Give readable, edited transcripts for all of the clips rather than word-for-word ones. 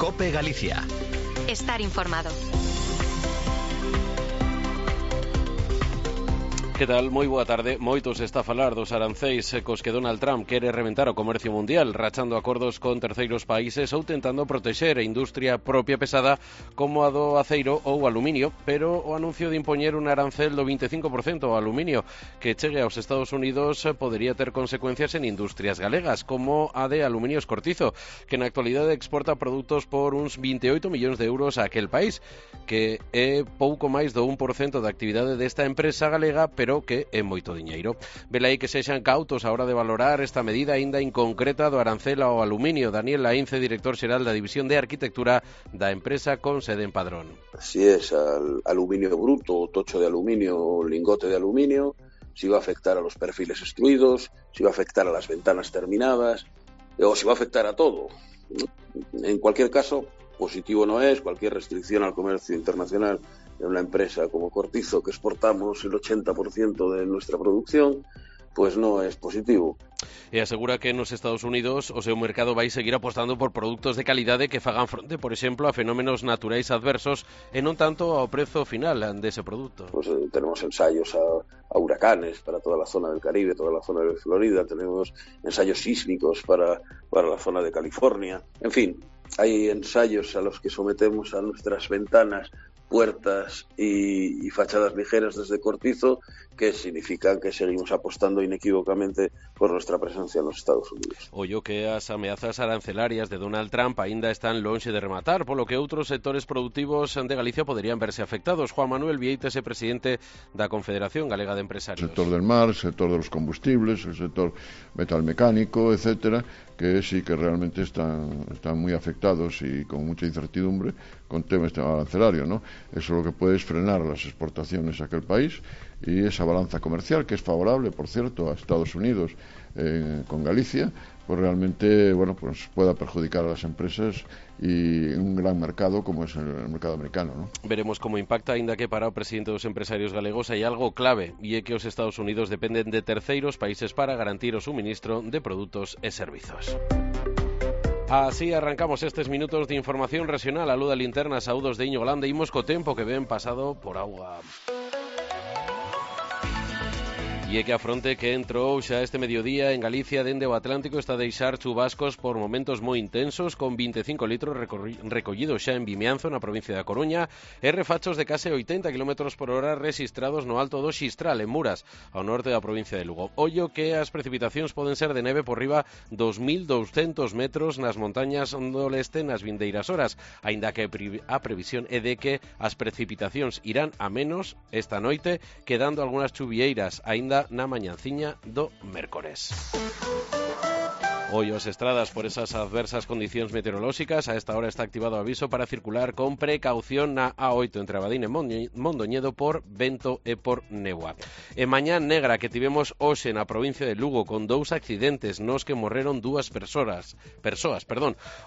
COPE Galicia. Estar informado. Que tal? Moi boa tarde. Moitos está a falar dos aranceis cos que Donald Trump quere reventar o comercio mundial, rachando acordos con terceiros países ou tentando protexer a industria propia pesada como a do aceiro ou aluminio, pero o anuncio de impoñer un arancel do 25% ao aluminio que chegue aos Estados Unidos podería ter consecuencias en industrias galegas, como a de Aluminios Cortizo, que na actualidade exporta produtos por uns 28 millóns de euros a aquel país, que é pouco máis do 1% da actividade desta empresa galega, pero que é moito diñeiro. Velaí que sexan cautos a hora de valorar esta medida aínda inconcreta do arancel ao aluminio. Daniel Laínce, director xeral da División de Arquitectura da empresa con sede en Padrón. Si es al aluminio bruto, tocho de aluminio o lingote de aluminio, si va a afectar a los perfiles extruidos, si va a afectar a las ventanas terminadas, o si va a afectar a todo. En cualquier caso, positivo no es. Cualquier restricción al comercio internacional de una empresa como Cortizo, que exportamos el 80% de nuestra producción, pues no es positivo. E asegura que nos Estados Unidos o seu mercado vai seguir apostando por produtos de calidade que fagan fronte, por exemplo, a fenómenos naturais adversos e non tanto ao prezo final dese produto. Pues tenemos ensayos a huracanes para toda la zona del Caribe, toda la zona de Florida, tenemos ensayos sísmicos para la zona de California. En fin, hay ensayos a los que sometemos a nuestras ventanas, puertas y fachadas ligeras desde Cortizo, que significan que seguimos apostando inequívocamente por nuestra presencia en los Estados Unidos. Ollo que as ameazas arancelarias de Donald Trump aínda están lonxe de rematar, polo que outros sectores productivos de Galicia poderían verse afectados. Juan Manuel Vieites é presidente da Confederación Galega de Empresarios. El sector del mar, el sector de los combustibles, el sector metalmecánico, etcétera, que sí que realmente están muy afectados y con mucha incertidumbre con temas arancelario, ¿no? Eso lo que puede es frenar las exportaciones a aquel país y esa balanza comercial, que es favorable, por cierto, a Estados Unidos con Galicia, pues realmente, bueno, pues pueda perjudicar a las empresas y un gran mercado como es el mercado americano, ¿no? Veremos como impacta, aínda que para o presidente dos empresarios galegos hai algo clave, e é que os Estados Unidos dependen de terceiros países para garantir o suministro de produtos e servizos. Así arrancamos estes minutos de información regional. A luz da linterna, saúdos de Iño Galán, imos co tempo que ven pasado por agua. E é que a fronte que entrou xa este mediodía en Galicia dende o Atlántico está a deixar chubascos por momentos moi intensos, con 25 litros recollidos xa en Vimianzo, na provincia da Coruña, e refachos de case 80 km por hora rexistrados no alto do Xistral, en Muras, ao norte da provincia de Lugo. Ollo que as precipitacións poden ser de neve por riba dos 1.200 metros nas montañas do leste nas vindeiras horas, aínda que a previsión é de que as precipitacións irán a menos esta noite, quedando algunhas chuvieiras aínda na mañanciña do mércores. Hoy as estradas por esas adversas condicións meteorolóxicas. A esta hora está activado o aviso para circular con precaución na A8 entre Abadín e Mondoñedo por vento e por néboa. E mañá negra que tivemos hoxe na provincia de Lugo con 2 accidentes nos que morreron 2 persoas.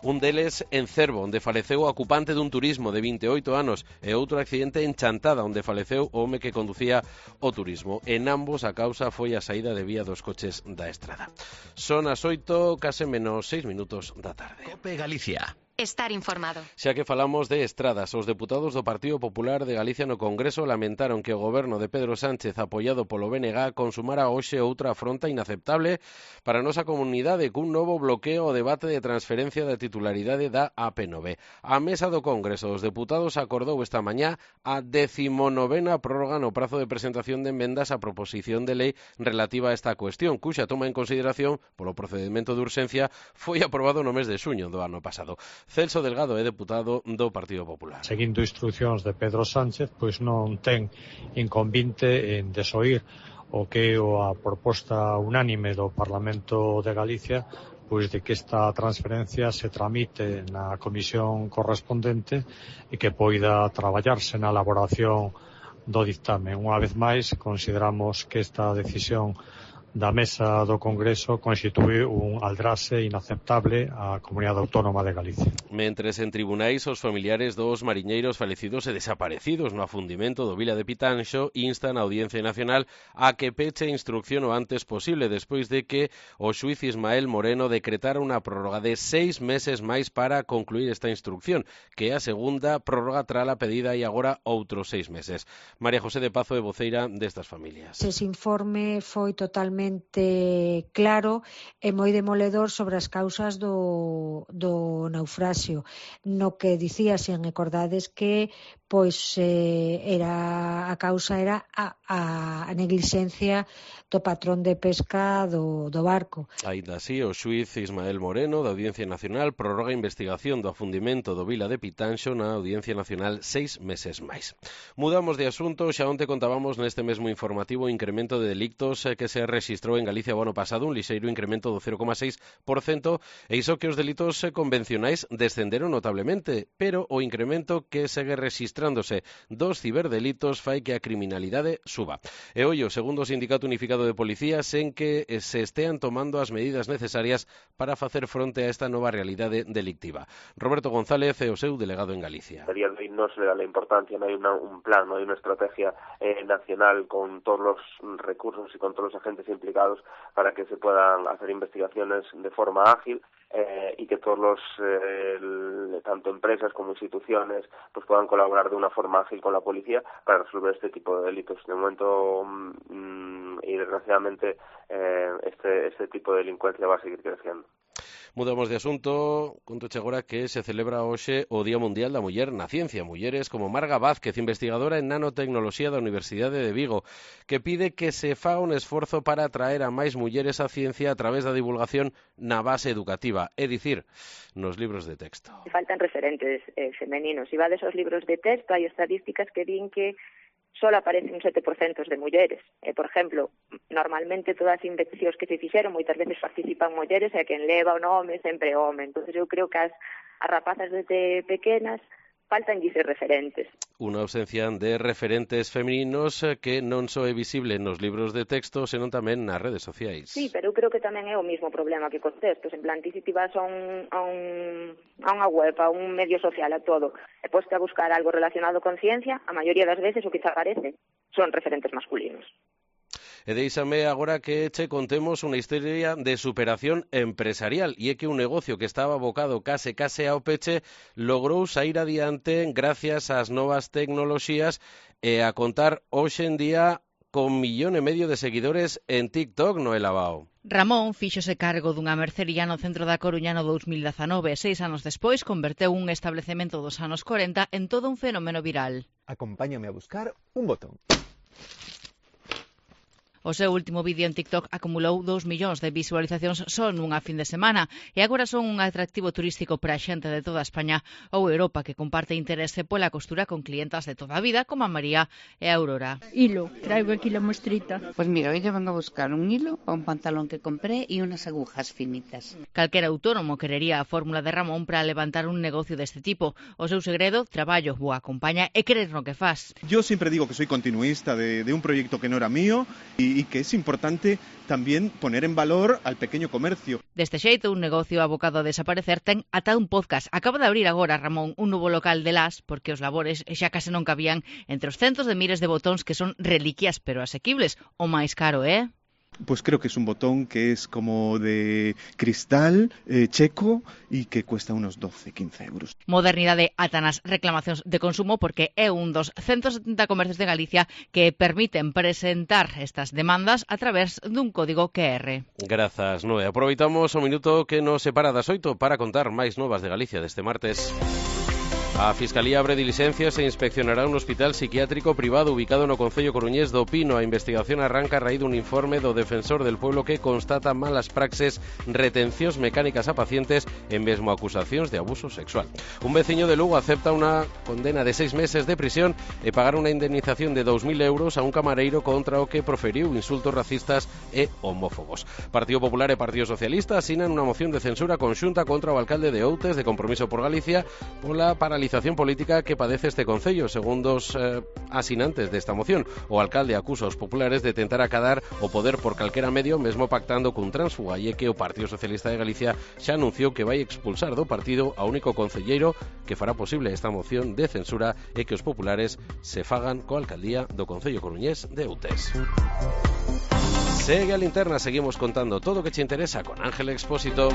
Un deles en Cervo, onde faleceu o ocupante dun turismo de 28 anos, e outro accidente en Chantada, onde faleceu o home que conducía o turismo. En ambos a causa foi a saída de vía dos coches da estrada. Son as 8, case menos 6 minutos da tarde. COPE Galicia. Estar informado. Xa que falamos de estradas, os deputados do Partido Popular de Galicia no Congreso lamentaron que o goberno de Pedro Sánchez, apoiado polo BNG, consumara hoxe outra afronta inaceptable para a nosa comunidade cun novo bloqueo ao debate de transferencia da titularidade da AP9. A mesa do Congreso dos Deputados acordou esta mañá a 19ª prórroga no prazo de presentación de enmendas á proposición de lei relativa a esta cuestión, cuxa toma en consideración polo procedimento de urxencia foi aprobado no mes de xuño do ano pasado. Celso Delgado é deputado do Partido Popular. Seguindo instruccións de Pedro Sánchez, pois non ten inconvinte en desoír o que é a proposta unánime do Parlamento de Galicia, pois de que esta transferencia se tramite na comisión correspondente e que poida traballarse na elaboración do dictame. Unha vez máis, consideramos que esta decisión da Mesa do Congreso constitui un aldraxe inaceptable á Comunidade Autónoma de Galicia. Mentres en tribunais os familiares dos mariñeiros falecidos e desaparecidos no afundimento do Vila de Pitanxo instan a Audiencia Nacional a que peche a instrucción o antes posible despois de que o xuiz Ismael Moreno decretara unha prórroga de 6 meses máis para concluir esta instrucción, que é a segunda prórroga tras a pedida e agora outros 6 meses. María José de Pazo é voceira destas familias. Ese informe foi totalmente claro e moi demoledor sobre as causas do naufraxio, no que dicía, se recordades, que era a causa era a neglixencia do patrón de pesca do barco. Aínda así, o xuiz Ismael Moreno da Audiencia Nacional prorroga a investigación do afundimento do Vila de Pitanxo na Audiencia Nacional 6 meses máis. Mudamos de asunto, xa onte contábamos neste mesmo informativo o incremento de delictos que se rexistrou en Galicia o ano pasado, un lixeiro incremento do 0,6%, e iso que os delitos convencionais descenderon notablemente, pero o incremento que segue registrándose dos ciberdelitos fai que a criminalidade suba. E ollo, segundo o Sindicato Unificado de Policías, en que se estean tomando as medidas necesarias para facer fronte a esta nova realidade delictiva. Roberto González é o seu delegado en Galicia. A día de hoy no se le da la importancia, no hay un plan, no hay una estrategia nacional con todos los recursos y con todos los agentes implicados para que se puedan hacer investigaciones de forma ágil y que todos los, tanto empresas como instituciones, pues puedan colaborar de una forma ágil con la policía para resolver este tipo de delitos. De momento, y desgraciadamente, este tipo de delincuencia va a seguir creciendo. Mudamos de asunto, contoche agora que se celebra hoxe o Día Mundial da Muller na Ciencia. Mulleres como Marga Vázquez, investigadora en nanotecnoloxía da Universidade de Vigo, que pide que se faga un esforzo para atraer a máis mulleres á ciencia a través da divulgación na base educativa, é dicir, nos libros de texto. Faltan referentes femeninos. Si vades aos libros de texto, hai estadísticas que din que solo aparecen un 7% de mulleres. Por exemplo, normalmente todas as investigacións que se fixeron moitas veces participan mulleres e quen leva o nome sempre home. Entón, eu creo que as rapazas desde pequenas faltan ser referentes. Unha ausencia de referentes femininos que non só é visible nos libros de texto, senón tamén nas redes sociais. Sí, pero eu creo que tamén é o mismo problema que cos textos. En plan, ti se ti vas a unha web, a un medio social, a todo, e podes a buscar algo relacionado con ciencia, a maioría das veces o que te aparece son referentes masculinos. E deixame agora que che contemos unha historia de superación empresarial, e é que un negocio que estaba abocado case ao peche logrou sair adiante gracias ás novas tecnoloxías e a contar hoxe en día con 1,5 millón de seguidores en TikTok, no Elabao. Ramón fíxose cargo dunha mercería no centro da Coruña no 2019 e 6 anos despois converteu un establecemento dos anos 40 en todo un fenómeno viral. Acompáñame a buscar un botón. O seu último vídeo en TikTok acumulou 2 millóns de visualizacións só nunha fin de semana e agora son un atractivo turístico para a xente de toda España ou Europa que comparte interese pola costura con clientas de toda a vida como a María e a Aurora. Hilo, traigo aquí la muestrita. Pues mira, hoy yo vengo a buscar un hilo para un pantalón que compré y unas agujas finitas. Calquera autónomo querería a fórmula de Ramón para levantar un negocio deste tipo. O seu segredo, traballo, boa compaña e querer no que faz. Yo siempre digo que soy continuista de un proyecto que no era mío y que es importante también poner en valor al pequeño comercio. Deste xeito, un negocio abocado a desaparecer ten ata un podcast. Acaba de abrir agora, Ramón, un novo local de las, porque os labores xa case non cabían entre os centos de miles de botóns que son reliquias pero asequibles. O máis caro, Pues creo que es un botón que es como de cristal checo y que cuesta unos 12-15 euros. Modernidade ata nas reclamacións de consumo porque é un dos 170 comercios de Galicia que permiten presentar estas demandas a través dun código QR. Grazas, Noé. Aproveitamos o minuto que nos separa das 8 para contar máis novas de Galicia deste martes. A Fiscalía abre dilixencias e inspeccionará un hospital psiquiátrico privado ubicado no concello coruñés do Pino. A investigación arranca a raíz dun informe do defensor del pueblo que constata malas praxes, retencións mecánicas a pacientes e mesmo acusacións de abuso sexual. Un veciño de Lugo acepta unha condena de 6 meses de prisión e pagar unha indemnización de 2.000 euros a un camareiro contra o que proferiu insultos racistas e homófobos. Partido Popular e Partido Socialista asinan unha moción de censura conxunta contra o alcalde de Outes de Compromiso por Galicia pola paralización desmoralización política que padece este concello, según dos asinantes desta moción. O alcalde acusa aos populares de tentar acadar o poder por calquera medio, mesmo pactando cun tránsfuga, e que o Partido Socialista de Galicia xa anunciou que vai expulsar do partido ao único concelleiro que fará posible esta moción de censura e que os populares se fagan coa alcaldía do concello coruñés de Outes. Segue a linterna, seguimos contando todo o que che interesa con Ángel Expósito.